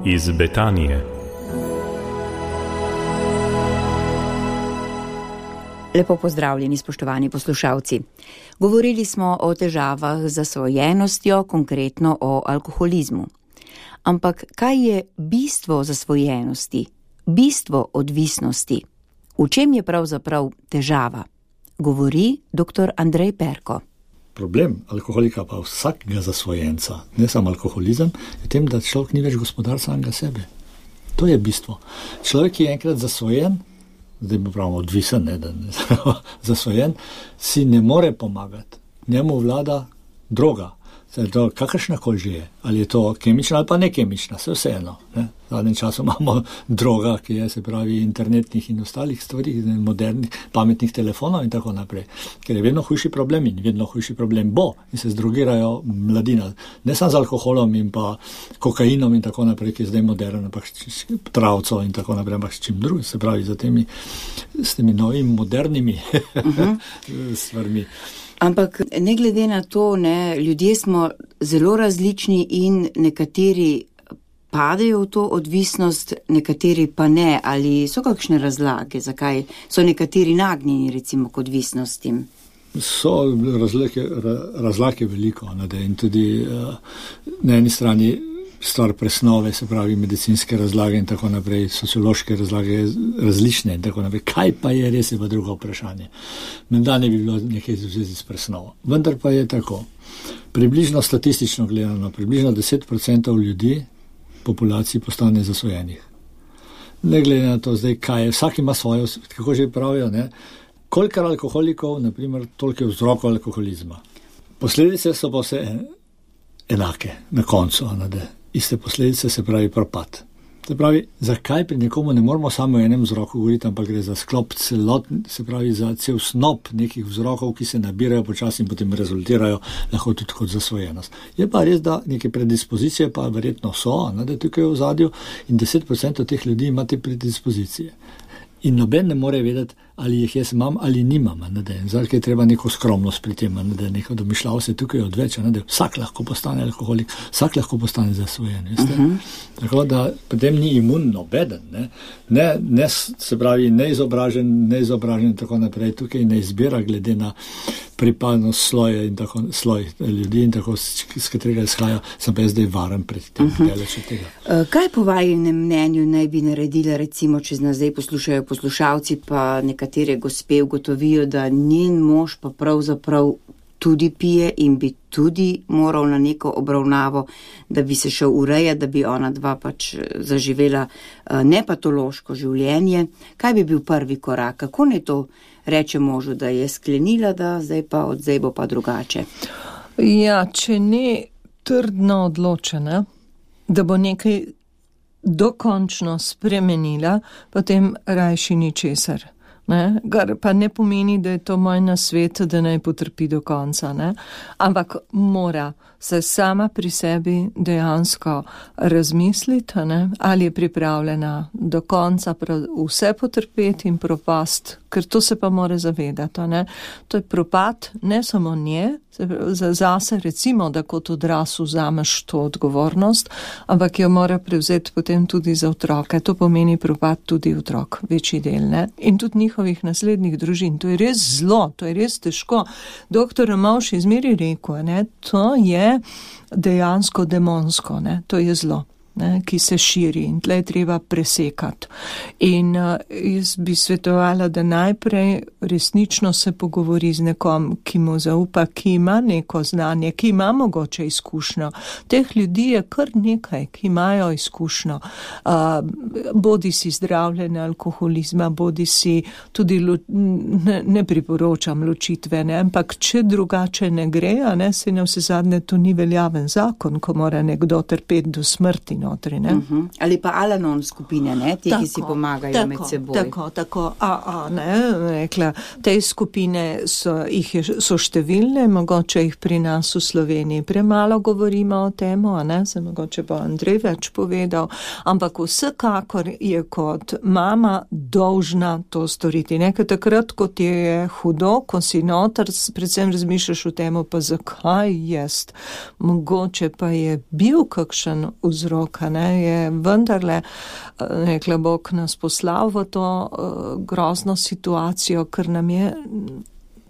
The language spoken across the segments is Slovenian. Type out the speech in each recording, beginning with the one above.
iz Betanije. Lepo pozdravljeni, spoštovani poslušalci. Govorili smo o težavah z zasvojenostjo, konkretno o alkoholizmu. Ampak kaj je bistvo zasvojenosti, bistvo odvisnosti? V čem je pravzaprav težava? Govori dr. Andrej Perko. Problem alkoholika pa vsakega zasvojenca, ne samo alkoholizem, je tem, da človek ni več gospodar samega sebe. To je bistvo. Človek, ki je enkrat zasvojen, zdaj bi pravimo odvisen, ne, da ne, zasvojen, si ne more pomagati. Njemu vlada droga. To kakršnakoli že je. Ali je to kemična ali pa nekemična, vseeno. Ne. V zadnjem času imamo droga, ki je, se pravi, internetnih in ostalih stvari, modernih, pametnih telefonov in tako naprej. Ker je vedno hujši problem in vedno hujši problem bo in se zdrogirajo mladina. Ne samo z alkoholom in pa kokainom in tako naprej, ki je zdaj modern, ampak travco in tako naprej, ampak s čim drugim, se pravi, s temi novimi modernimi stvarmi. Ampak ne glede na to, ljudje smo zelo različni in nekateri padejo v to odvisnost, nekateri pa ne. Ali so kakšne razlage, zakaj so nekateri nagnjeni recimo k odvisnostim? So razlage veliko, in tudi na eni strani stvar presnove, se pravi medicinske razlage in tako naprej, sociološke razlage različne in tako naprej. Kaj pa je, res je pa drugo vprašanje. Menda ne bi bilo nekaj v zvezi s presnovo. Vendar pa je tako. Približno statistično gledano, približno 10% ljudi populaciji postane zasvojenih. Ne glede na to zdaj, kaj je, vsak ima svojo, kako že pravijo, kolikor alkoholikov, naprimer, toliko je vzrokov alkoholizma. Posledice so pa vse enake na koncu, iste posledice, se pravi propad. Se pravi, zakaj pri nekomu ne moramo samo o enem vzroku govoriti, ampak gre za sklop celotn, se pravi za cel snop nekih vzrokov, ki se nabirajo počasi in potem rezultirajo lahko tudi kot zasvojenost. Je pa res, da neke predispozicije pa verjetno so, da je tukaj v ozadju in 10% teh ljudi ima te predispozicije. In noben ne more vedeti, ali jih jaz imam ali nimam. Zdaj je treba neko skromnost pri tem, neko domišljavo se tukaj odveč. Vsak lahko postane alkoholik, vsak lahko postane zasvojen. Tako da potem ni imun nobeden. Ne, se pravi, neizobražen in tako naprej. Tukaj ne izbira glede na pripadnost sloj ljudi in tako, s katerega izhaja, sem pa jaz zdaj varen pred tem. Kaj po vajinem mnenju naj bi naredila, recimo, če nas zdaj poslušajo poslušalci, pa nekatere gospe ugotovijo, da njen mož pa pravzaprav tudi pije in bi tudi moral na neko obravnavo, da bi se šel urejati, da bi ona dva pač zaživela nepatološko življenje. Kaj bi bil prvi korak? Kako ne to reče možu, da je sklenila, da zdaj bo pa drugače? Ja, če ne trdno odločena, da bo nekaj dokončno spremenila, potem rajši ničesar. Kar pa ne pomeni, da je to moj nasvet, da naj potrpi do konca. Ampak mora se sama pri sebi dejansko razmisliti, ali je pripravljena do konca vse potrpeti in propast, ker to se pa mora zavedati. To je propad ne samo nje, zase recimo, da kot odraz vzameš to odgovornost, ampak jo mora prevzeti potem tudi za otroke. To pomeni propad tudi otrok, večji del, in tudi njihovih naslednjih družin. To je res zlo, to je res težko. Doktor Ramovš je zmeri rekel, to je dejansko demonsko, to je zlo, ki se širi in tle je treba presekati. In jaz bi svetovala, da najprej resnično se pogovori z nekom, ki mu zaupa, ki ima neko znanje, ki ima mogoče izkušnjo. Teh ljudi je kar nekaj, ki imajo izkušnjo. Bodi si zdravljenje alkoholizma, bodi si tudi, ne priporočam ločitve, ampak če drugače ne gre, se na vse zadnje to ni veljaven zakon, ko mora nekdo trpeti do smrti notri. Ali pa Al-Anon skupine, ti, ki si pomagajo med seboj. Tako, rekla, te skupine so številne, mogoče jih pri nas v Sloveniji premalo govorimo o tem, se mogoče bo Andrej več povedal, ampak vsekakor je kot mama dolžna to storiti. Nekaj takrat, kot je hudo, ko si noter, predvsem razmišljaš o tem, pa zakaj jaz? Mogoče pa je bil kakšen vzrok ampak je vendarle, rekla Bog, nas poslal v to grozno situacijo, ker nam je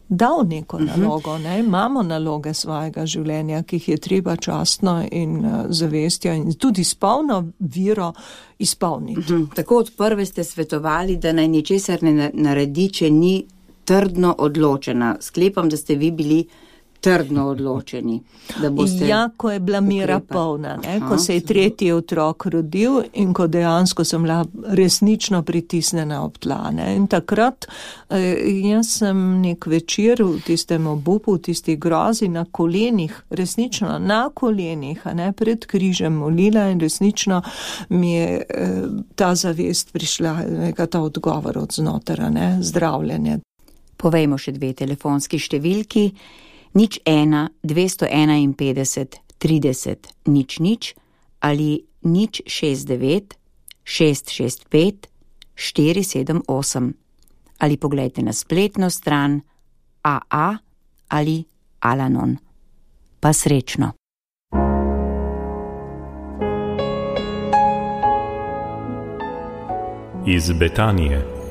dal neko nalogo, imamo naloge svojega življenja, ki jih je treba častno in zavestjo in tudi s polno viro izpolniti. Tako od prve ste svetovali, da naj ničesar ne naredi, če ni trdno odločena. Sklepam, da ste vi bili trdno odločeni, da boste ko je bila mira polna, ko se je tretji otrok rodil in ko dejansko sem bila resnično pritisnjena ob tla. In takrat jaz sem nek večer v tistem obupu, v tisti grozi na kolenih, resnično na kolenih, pred križem molila in resnično mi je ta zavest prišla, ta odgovor od znotraj, zdravljenje. Povejmo še 2 telefonski številki. 01-251 30 00 ali 069 665 478 ali poglejte na spletno stran AA ali Alanon. Pa srečno. Iz Betanije.